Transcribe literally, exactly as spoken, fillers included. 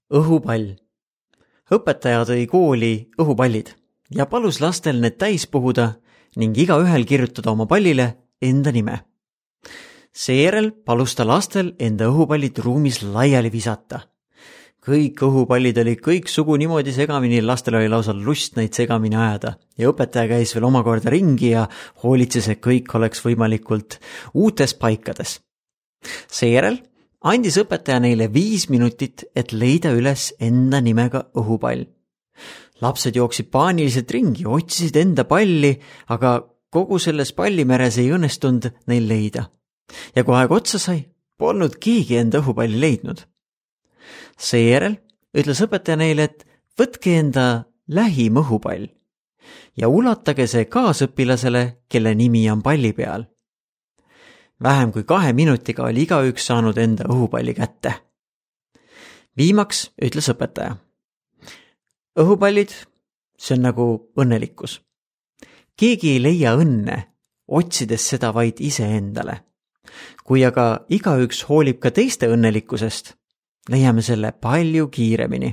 Õhupall. Õpetaja tõi kooli õhupallid ja palus lastel need täis puhuda ning iga ühel kirjutada oma pallile enda nime. Seejärel palus ta lastel enda õhupallid ruumis laiali visata. Kõik õhupallid oli kõik sugu niimoodi segamini, lastel oli lausa lust neid segamini ajada ja õpetaja käis veel omakorda ringi ja hoolitses, et kõik oleks võimalikult uutes paikades. Seejärel andis õpetaja neile viis minutit, et leida üles enda nimega õhupall. Lapsed jooksid paaniliselt ringi, otsisid enda palli, aga kogu selles pallimeres ei õnnestunud neil leida. Ja kui aeg otsa sai, polnud keegi enda õhupalli leidnud. Seejärel ütles õpetaja neile, et võtke enda lähim õhupall ja ulatage see kaasõpilasele, kelle nimi on palli peal. Vähem kui kahe minutiga oli igaüks saanud enda õhupalli kätte. Viimaks ütles õpetaja. Õhupallid, see on nagu õnnelikkus. Keegi ei leia õnne, otsides seda vaid iseendale. Kui aga igaüks hoolib ka teiste õnnelikkusest, leiame selle palju kiiremini.